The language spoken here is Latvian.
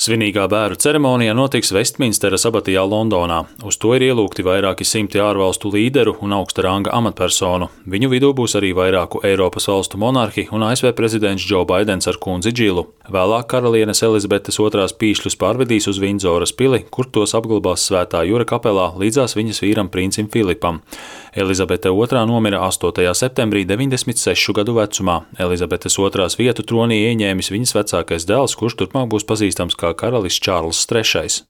Svinīgā bēru ceremonija notiks Vestminsteras abatijā Londonā. Uz to ir ielūgti vairāki simti ārvalstu līderu un augsta ranga amatpersonu. Viņu vidū būs arī vairāku Eiropas valstu monarhi un ASV prezidents Džo Baidens ar kundzi Džilu. Vēlāk karalienes Elizabetes II pīšļus pārvedīs uz Vindzoras pili, kur tos apglabās Svētā Jura kapelā līdzās viņas vīram princim Filipam. Elizabete II nomira 8. septembrī 96 gadu vecumā. Elizabetes II vietu tronī ieņēmis viņas vecākais dēls, kurš turpmāk būs pazīstams kā karalis Čārlzs III.